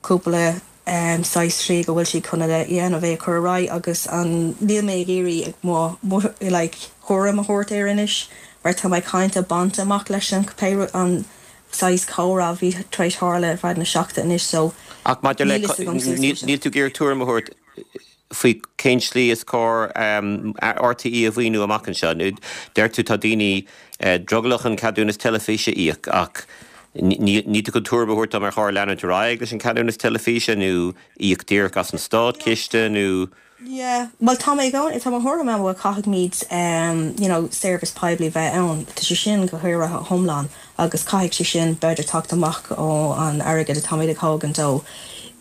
cúpla saghas slí go bhfuil siad chun a dhéanamh é a chur ar aghaidh agus an níl mé ag iarraidh mo mo like thuairim a thabhairt air anois mar tá mé kinda bainte amach leis an pé an saghas comhrá a bhí tar éis tharla ar feadh na seachtaine anois so Ach maidir le, níl fhios agam suas leis. Níl tú ag iarraidh tuairim a thabhairt faoi cén slí is cóir RTÉ a mhaoiniú amach anseo? Deir tú tá daoine drogallach an ceadúnas teilifíse a íoc ach níl tú chun tuairim a thabhairt dom ar chóir leanúint ar aghaidh leis an ceadúnas teilifíse nó íoc díreach as an státchiste nó Yeah, bhuel tá mé i gcónaí, tá mo thuairim ann bhuel caithfimid you know seirbhís poiblí bheith ann, tá sé sin go háirithe iomlán agus caithfidh sé sin b'fhéidir teacht amach ó an airgead atáimid ag thógaint ó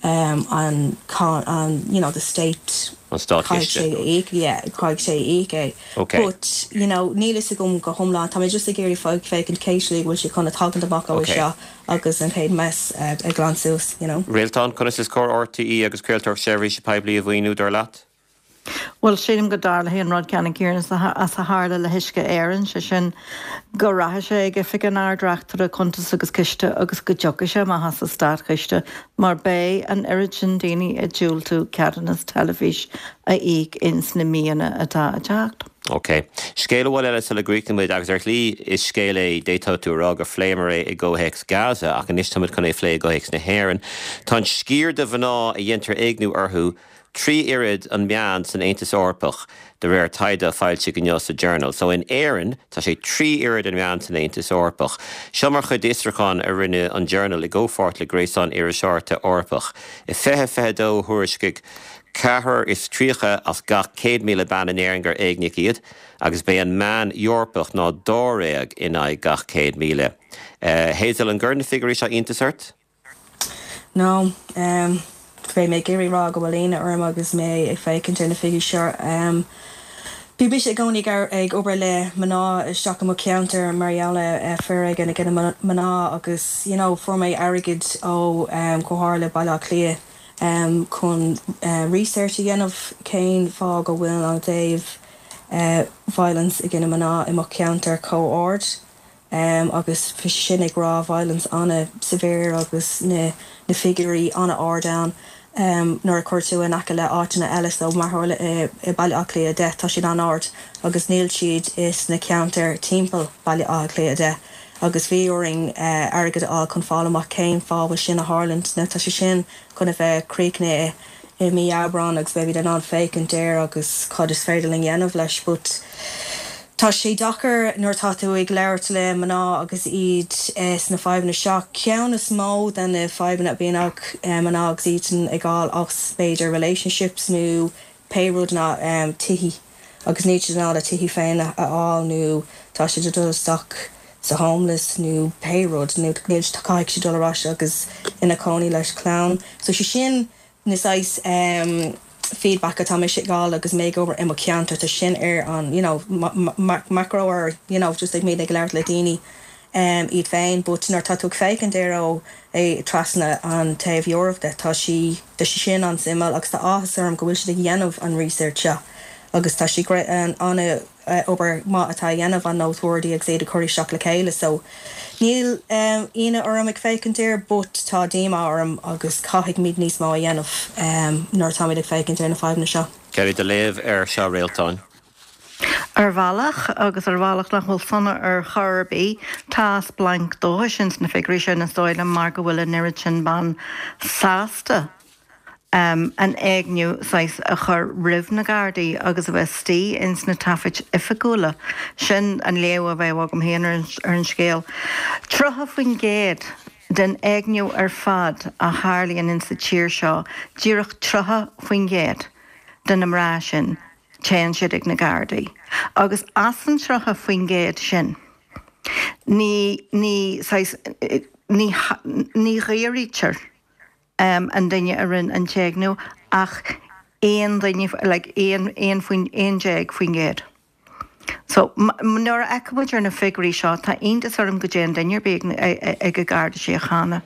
an an you know the state An státchiste. caithfidh sé a íoc, yeah, caithfidh sé a íoc é. Ok. But you know níl fhios agam go hiomlán, tá mé just ag iarraidh féachaint cén slí go bhfuil sé chun a tagaint amach ó Ok. seo agus an chéad mess a ghlan suas, you know. Réaltán, conas is cóir RTÉ agus craoltóireacht seirbhíse poiblí a mhaoiniú, dar leat? Bhuel, sílim go dtarlóidh an rud ceannann céanna is a tharla le hUisce Éireann, sé sin, go rachaidh sé ag Oifig an Ard-Reachtaire Cuntas agus Ciste agus go dtiocfaidh sé amach as an Státchiste mar beidh an oiread sin daoine ag diúltú ceadúnas teilifís a íoc ins na míonna atá ag teacht. Ok. Scéal amháin eile sula gcríochnóidh muid, agus ar shlí is scéal é, d'fhéadfadh tú a rá gur phléamar é i gcomhthéacs Gaza, ach anois táimid chun é a phlé i gcomhthéacs na hÉireann. Tá an sciar de mhná a dhéantar éigniú orthu 3 oiread an meán san Aontas Eorpach, de réir taighde a foilsíodh inniu sa Journal. So in Éirinn, tá sé 3 oiread an meán san Aontas Eorpach. Seo mar chuid d'fhiosrúchán a rinne an Journal i gcomhpháirt le Gréasán Iriseoireachta Eorpach. I 2022 thuairiscigh Ceathrar is 30 as gach 100,000 bean in Éirinn gur éigníodh iad, agus b'é an meán Eorpach ná dáréag in aghaidh gach 100,000. Hazel, an gcuireann na figiúirí seo iontas ort? No. Beidh mé ag iarraidh rá go bhfuil ionadh orm agus mé ag féachaint ar na figiúirí seo. Bhí mise i gcónaí ag obair le mná isteach i mo cheantar mar gheall ar foréigean i gcoinne mná agus you know fuair mé airgead ó Chomhairle Baile Átha Cliath chun research a dhéanamh cén fáth go bhfuil an taobh. violence i gcoinne mná i mo cheantar chomh ard agus bhí sé sin ag rá violence ana-severe agus na na figiúirí ana-ard ann nuair a chuir tú in aice le áiteanna eile so mar tharla i i Baile Átha Cliath 10 tá siad an-ard agus níl siad i sna ceantair timpeall Baile Átha Cliath 10 agus bhí orainn airgead a fháil chun fáil amach cén fáth bhfuil sin a tharlaint. Now tá sé sin chun a bheith críochnaithe i mí Aibreán agus beimid in ann féachaint air agus cad is féidir linn dhéanamh leis but tá sé deacair nuair atá tú ag labhairt le mná agus iad sna fadhbanna seo. Ceann is mó de na fadhbanna a bhíonn ag mná agus iad ag fáil as b'fhéidir relationships nó pé rud ná tithí agus níl siad in ann a tithí féin a fháil nó tá siad ag dul isteach sa homeless nó pé rud nó níl caithfidh siad dul ar ais agus ina cónaí leis clann. So sé sin na saghas feedback atá mise ag fháil agus mé ag obair i mo cheantar tá sin ar an you know macro or you know just ag mé ag labhairt le daoine iad féin but nuair atá tú ag féachaint air ó é trasna an taobh Eoraip de tá sí tá sé sin an-suimiúil agus tá áthas orm go bhfuil siad ag dhéanamh an research seo agus tá sí an obair maith atá a dhéanamh an Noteworthy agus iad ag cur isteach le chéile so níl ionadh orm ag féachaint air but tá díomá orm agus caithfidh muid níos mó a dhéanamh nuair atáimid ag féachaint ar na fadhbanna seo. Gerry, do léamh air seo Réaltán. Ar bhealach, agus ar bhealach nach bhfuil sona ar chor ar bith, tá splanc dóchais ins na figiúirí sin, is dóigh liom, mar go bhfuil an oiread sin ban sásta an éigniú saghas a chur roimh na Gardaí agus a bheith istigh ins na taifid oifigiúla. Sin an léamh a bheadh agam féin ar an scéal. 30% den éigniú ar fad a tharlaíonn ins sa tír seo, díreach 30% de na mná sin, téann siad ag na Gardaí. Agus as an 30% sin, ní, ní, saghas, ní, ní dhaoraítear an duine a rinne an t-éigniú ach aon duine, like, aon, aon faoin, 11%. So, nuair a fheiceann muid ar na figiúirí seo, tá iontas orm go dtéann duine ar bith ag an Garda Síochána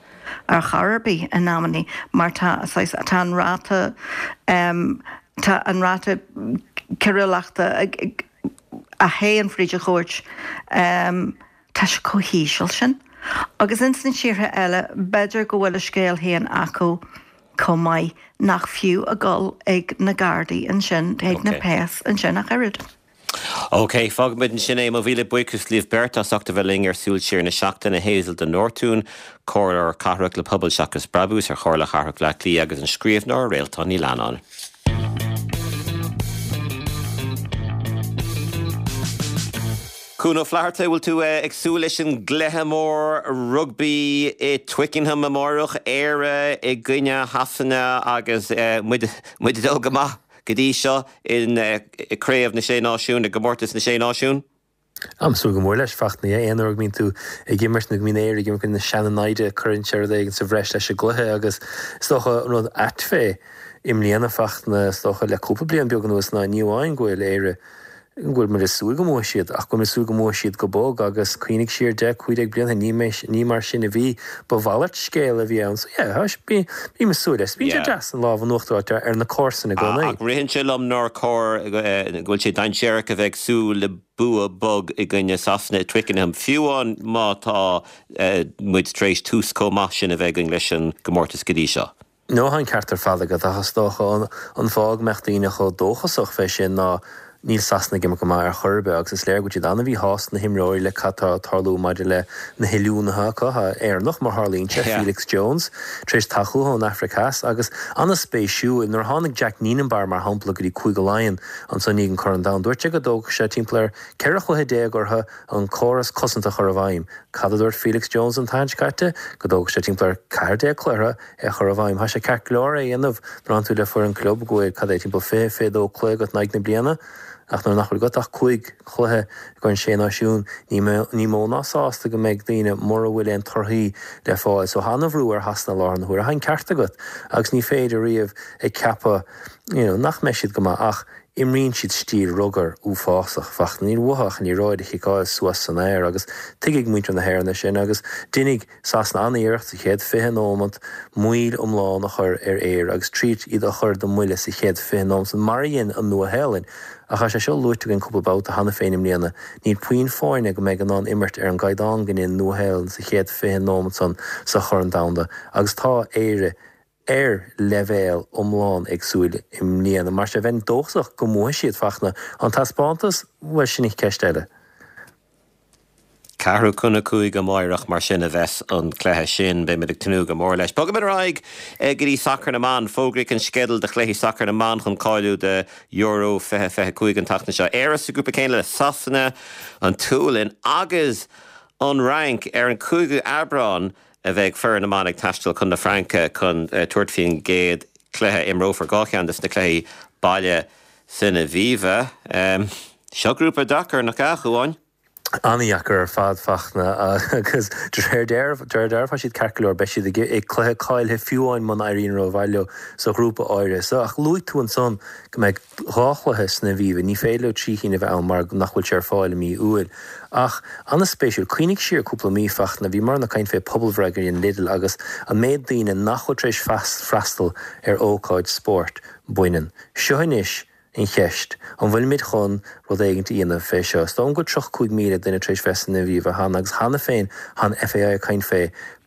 ar chor ar bith in amannaí mar tá, saghas, tá an ráta, tá an ráta coiriúlachta a théann fríd an chúirt, tá sé chomh híseal sin. Agus ins na tíortha eile, b'fhéidir go bhfuil a scéal féin acu chomh maith, nach fiú a dhul ag na Gardaí ansin, ag na péas ansin ach oiread. OK, fágfaimid ansin é. Mo mhíle buíochas libh beirt as ucht a bheith linn ar Súil Siar na Seachtaine, Hazel de Nortúin, Comhairleoir Cathrach le Pobal Seachas Brabús ar Chomhairle Chathrach Bhaile Átha Cliath agus an scríbhneoir Réaltán Ní Leannáin. Cuan Ó Flatharta, bhfuil tú ag súil leis an gcluiche mór rugbaí i Twickenham amárach, Éire i gcoinne Shasana agus muid muid ag dul go maith go dtí seo i Craobh na Sé Náisiún, i gComórtas na Sé Náisiún? Táim ag súil go mór leis, Fachtna. Aon uair go mbíonn tú ag imirt nó go mbíonn Éire ag imirt na seana-naimhde, cuireann sé rud éigin sa bhreis leis an gcluiche agus is dócha an rud ait fé i mbliana, Fachtna, is dócha le cúpla bliain beag anuas ná ní amháin go bhfuil Éire go bhfuil muid ag súil go mbuafaidh siad, ach go bhfuil muid ag súil go mbuafaidh siad go bog agus cuimhnigh siar 10, 15 bliain ó shin, ní, ní mar sin a bhí, ba mhalairt scéil a bhí ann. So yeah, tá, bí, bím ag súil leis. Bíonn sé deas an lámh in uachtar a fháil ar na comharsana i gcónaí. Ach ritheann sé liom nár chóir, go bhfuil sé dainséarach a bheith ag súil le bua bog i gcoinne Sasana i Twickenham, fiú amháin má tá muid tar éis tús chomh maith sin a bheith againn leis an gcomórtas go dtí seo. No, tá an ceart ar fad agat, ach is dócha an fáth go mbeadh daoine chomh dóchasach fé sin ná níl Sasana ag imirt go maith ar chor ar bith agus is léir go bhfuil siad an-mhíshásta na himreoirí le cad tá ag tarlú maidir le na hoiliúnaithe acu, tá Éireannach mar tharlaíonn sé, Felix Jones, tar éis teacht chucu ón Afraic Theas agus an-spéisiúil nuair a tháinig Jacques Nienaber mar shampla go dtí Cúige Laighean anso i ndiaidh an Corn Domhanda dúirt sé go dtógfadh sé timpeall ar 14 chluiche orthu an córas cosanta a chur i bhfeidhm. Cad a dúirt Felix Jones an tseachtain seo caite? Go dtógfadh sé timpeall ar 14 cluiche orthu é a chur i bhfeidhm. Tá sé ceart go leor é a dhéanamh nuair atánn tú le foireann club go bhfuil, cad é, timpeall 20, 22 cluiche agat in aghaidh na bliana, ach nuair nach bhfuil agat ach cúig chluiche i gCorn Sé Náisiún, ní, ní mó ná sásta go mbeidh daoine mura bhfuil aon torthaí le fáil. So tá an-bhrú ar Shasana i láthair na huaire. Tá an ceart agat agus ní féidir riamh ag ceapadh, you know, nach mbeidh siad go maith ach. Imríonn siad stíl rugair uafásach, Fachtna. Níl uathu ach an liathróid a chiceáil suas san aer agus tuigfidh muintir na hÉireann é sin agus déanfaidh Sasana an-iarracht sa chéad 20 nóimeat moill iomlán a chur ar Éire agus triail iad a chur den mbuille sa chéad 20 nóimeat san mar a dhein an Nua-Shéalainn. Ach tá sé seo luaite againn cúpla babhta cheana féin i mbliana, níl puinn foirne go mbeidh in ann imirt ar an gcaighdeán go ndein Nua-Shéalainn sa chéad 20 nóimeat san sa Chorn Domhanda agus tá Éire ar leibhéal iomlán éagsúil i mbliana. Mar sin, bheinn dóchasach go mbuafaidh siad, Fachtna. An taispeántas? Bhuel, sin ceist eile. Ceathrú chun a 5 amáireach mar sin a bheas an cluiche sin. Beimid ag tnúth go mór leis. Bogaimid ar aghaidh go dtí sacar na mban. Fógraíodh an sceideal do chluichí sacair na mban chun cáiliú do Euro 2025 an tseachtain seo. Éire sa ghrúpa céanna le Sasana, an tSualainn agus an Fhrainc. Ar an 5ú Aibreán, a bheidh foireann na mban ag taisteal chun na Fraince chun tabhairt faoin gcéad chluiche. Imreofar 2 cheann de na cluichí baile san Aviva. Seo grúpa deacair, nach ea, a Chuáin? An-dheacair ar fad, Fachtna, agus de réir dealraimh tá siad ceart go leor, beidh siad ag cluiche cáilithe fiú amháin muna n-éiríonn rómhaith leo sa ghrúpa áirithe seo. Ach luaigh tú ansan go mbeidh 2 chluiche san Aviva, ní féidir leo 3 chinn a bheith ann mar nach bhfuil sé ar fáil i mí Iúil. Ach, an-spéisiúil, cuimhnigh siar cúpla mí, Fachtna, bhíomar ag caint fé pobalbhreith a dhein Lidl agus an méid daoine nach bhfuil tar éis freastal ar ócáid spóirt baineann. Seo anois an cheist, an bhfuilimid chun rud éigint a dhéanamh fé seo? Is dóigh liom go bhfuil 35,000 duine tar éis bheith san Aviva cheana agus cheana féin tá an FAI ag caint fé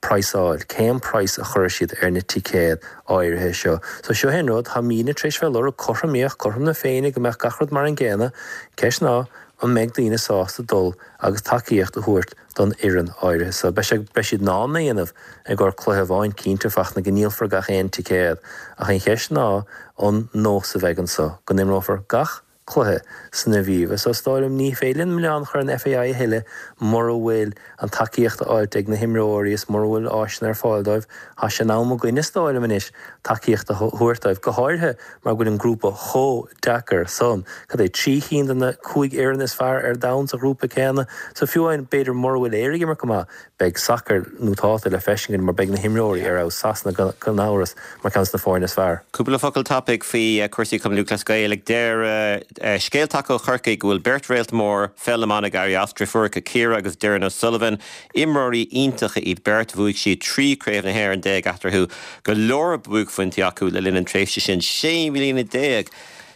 praghsáil, cén praghas a chuirfidh siad ar na ticéid áirithe seo. So seo é an rud, tá daoine tar éis bheith ag lorg cothromaíocht, cothrom na Féinne, go mbeadh gach rud mar an gcéanna. Ceist ná, An mbeidh daoine sásta dul agus tacaíocht a thabhairt don fhoireann áirithe so? Beidh sé, beidh siad in ann é a dhéanamh i gcomhair cluiche amháin, cinnte, Fachtna, go ndíolfar gach aon ticéad, ach an cheist ná an nós a bheidh anso, go n-imreofar gach cluiche san Aviva. So is dóigh liom, ní féidir linn milleán a chur ar an FAI a thuilleadh mura bhfuil an tacaíocht á fháilt ag na himreoirí is mura bhfuil áiseanna ar fáil dóibh. Tá sé in am againn, is dóigh liom anois, tacaíocht a thabhairt dóibh, go háirithe mar go bhfuil an grúpa chomh deacair san. Cad é, 3 chinn de na 5 fhoireann is fearr ar domhan sa ghrúpa céanna? So fiú amháin, b'fhéidir mura bhfuil Éire ag imirt go maith, beidh sacar nótálta le feiscint againn mar beidh na himreoirí ar fheabhas, Sasana gan amhras mar ceann de na foirne is fearr. Cúpla focal tapaidh faoi chúrsaí Chumann Lúthchleas Gael. Ag deireadh, scéal tagtha ó Chorcaigh go bhfuil beirt réalt mór pheil na mban ag éirí as, driofúracha Ciara agus Doireann O'Sullivan. Imreoirí iontacha iad beirt. Bhuaigh siad 13 Craobh na hÉireann eatarthu. Go leor buaicphointí acu le linn an tréimhse sin. 16 mbliana,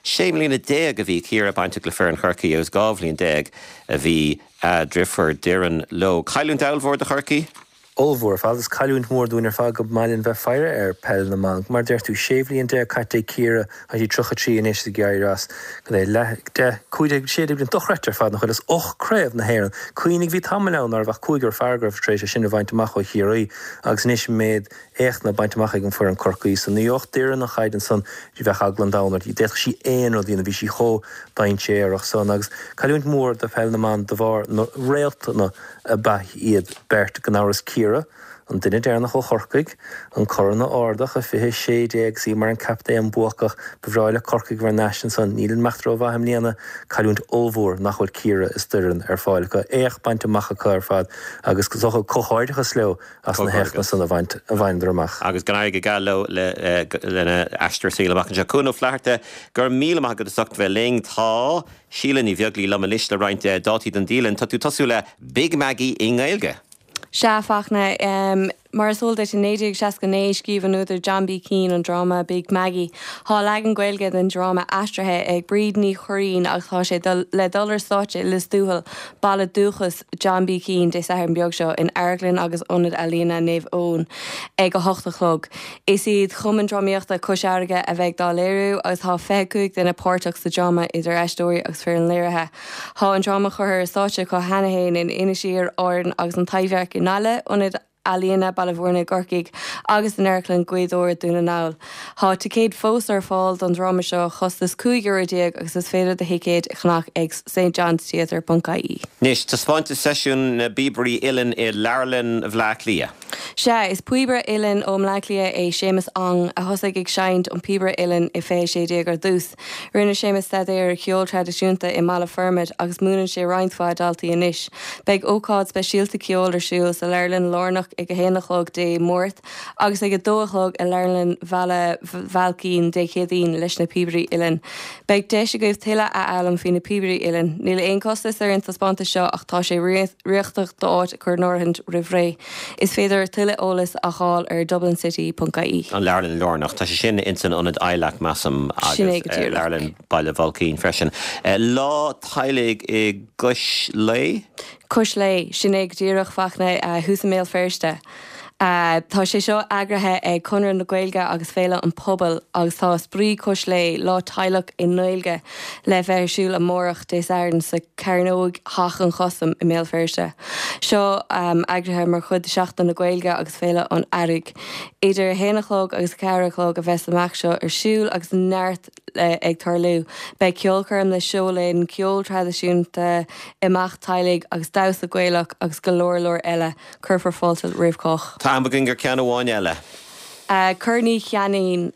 16 mbliana a bhí Ciara bainteach le foireann Chorcaí agus 12 bhliain a bhí a driofúr Doireann leo. Cailliúint ollmhór do Chorcaigh. Ollmhór ar fad. Is cailliúint mhór dúinn ar fad go maith linn bheith faire ar peil na mban. Mar a deir tú, 16 bhliain caite ag Ciara, tá sí 33 anois is ag éirí as. Cad é, leath, deich, 15, 16 bliain, dochreidte ar fad nach bhfuil? Is 8 craobh na hÉireann. Cuimhnigh, bhí tamall ann ná raibh ach cúigear fear go raibh tar éis é sin a bhaint amach ó Chiarraí agus anois an méid éachtanna bainte amach ag an foireann Corcaí so. Ní bheadh Doireann an chaid ansan, bheadh eagla an domhain uirthi. D'fhéadfadh sí aon rud a dhéanamh, bhí sí chomh dainséarach san. Agus cailliúint mhór do pheil na mban de bharr na réaltanna ab ea iad beirt, gan amhras Ciara, an duine deireanach ó Chorcaigh, an corn a ardach i 2016 agus í mar an captaen buacach. Ba bhreá le Corcaigh a bheith thar n-ais ansan. Níl ag imeacht rómhaith i mbliana. Cailliúint ollmhór nach bhfuil Ciara is Doireann ar fáil acu. Éacht bainte amach acu ar fad agus is dócha comhghairdeachas leo as na héachtanna san a bhaint a bhaineadar amach. Agus go n-éirí go geal leo lena n-aistear saoil amach anseo. Cuan Ó Flatharta, go raibh míle maith agat as ucht bheith linn. Tá Síle Ní Bheaglaoí liom anois le roinnt dátaí don dialann. Tá tú ag tosú le Big Maggie i nGaeilge. Sea, a Fachtna. Mar is eol duit, i 1969 scríobh an údar John B. Keane an dráma Big Maggie. Tá leagan Gaeilge den dráma aistrithe ag Bríd Ní Churraoin agus tá sé le dul ar stáitse i Lios Tuathail, baile dúchais John B. Keane, Dé Sathairn beag seo in Amharclann agus Ionad Ealaíona Naomh Eoin ag 8 a chlog. Is iad Cumann Drámaíochta Cois Fharraige a bheidh dá léiriú agus tá 25 duine páirteach sa dráma idir aisteoirí agus foireann léirithe. Tá an dráma curtha ar stáitse acu cheana fhéin in Inis Oírr, Árainn agus An Taibhdhearc i nGaillimh, Ionad Ealaíona Baile Bhúirne i gCorcaigh agus in Amharclann Ghaoth Dobhair, Dún na nGall. Tá ticéid fós ar fáil don dráma seo, costas €15 euro agus is féidir do thicéid a cheannach ag stjohnstheatre.ie. Anois, taispeántas seisiún na bpíobairí uilleann i Leabharlann Bhaile Átha Cliath. Sea, is píobaire uilleann ó mBleá Cliath é Séamus Ong, a thosaigh ag seinnt an píobaire uilleann i 2016 ar dtús. Rinne Séamus staidéar ar cheol traidisiúnta i mBaile Formaid agus múineann sé roinnt mhaith daltaí anois. Beidh ócáid speisialta ceoil ar siúl sa Leabharlann Lárnach ag a haon a chlog Dé Máirt agus ag a dó a chlog i Leabharlann Bhaile Bhailcín Dé Céadaoin leis na píobairí uilleann. Beidh deis agaibh tuilleadh a fhoghlaim faoi na píobairí uilleann. Níl aon costas ar an taispeántas seo ach tá sé riachtanach d'áit a chur in áirithint roimh ré. Is féidir tuilleadh eolais a fháil ar dublincity.ie. An Leabharlann Lárnach, tá sé sin ins an Ionad ILAC, measaim, Sin é agus go díreach. Leabharlann Baile Bhailcín freisin. Lá Teaghlaigh i gCois Laoi? Cois Laoi, sin é go díreach, Fachtna, thuas i mBéal Feirste. Tá sé seo eagraithe ag Conradh na Gaeilge agus Féile an Phobail agus tá Spraoi Cois Laoi, Lá Teaghlach i nGaeilge, le bheith ar siúl amárach, Dé Sathairn, sa Chearnóg Theach an Chustaim i mBéal Feirste. Seo eagraithe mar chuid de Sheachtain na Gaeilge agus Féile an Earraigh. Idir a haon a chlog agus a ceathair a chlog a bheas an imeacht seo ar siúl agus neart ag tarlú. Beidh ceolchoirm le Seo Linn, ceol traidisiúnta, imeacht teaghlaigh agus damhsa Gaelach agus go leor leor eile. Cuirfear fáilte roimh chách. Tá am againn do cheann amháin eile. Corn Uí Cheanainn.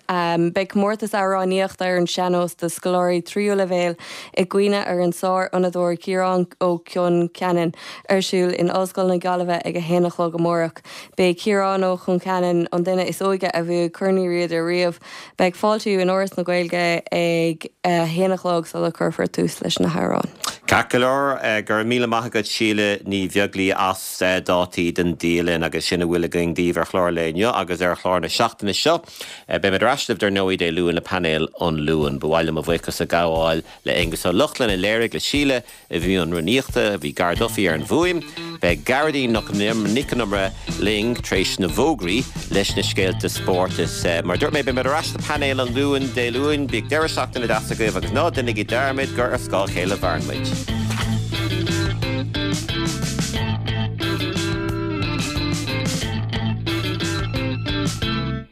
Beidh comórtas amhránaíochta ar an sean-nós do scoláirí tríú leibhéal i gcuimhne ar an sár-fhonnadóir Ciarán Ó Concheanainn ar siúl in Ollscoil na Gaillimhe ag a haon a chlog amárach. B'é Ciarán Ó Concheanainn an duine is óige a bhuaigh Corn Uí Riada riamh. Beidh fáiltiú in Áras na Gaeilge ag a haon a chlog sula cuirfear tús leis na hamhráin. Ceart go leor, go raibh míle maith agat Síle Ní Bheaglaoí as dátaí don dialann agus sin a bhfuil againn daoibh ar chlár an lae inniu agus ar chlár na seachtaine seo. Beimid ar ais libh dar ndóigh Dé Luain le painéal an Luain. Ba mhaith liom mo bhuíochas a ghabháil le Aonghus Ó Lochlainn a léirigh, le Síle i mbun rúnaíochta, bhí Gar Duffy ar an bhfuaim. Beidh Gearóidín Nic Con Iomaire linn tar éis na bhfógraí leis na scéalta spóirt. Is mar a dúirt mé, beimid ar ais le painéal an Luain Dé Luain. Bíodh deireadh seachtaine deas agaibh agus ná déanaigí dearmad gur ar scáth a chéile a mhaireann muid.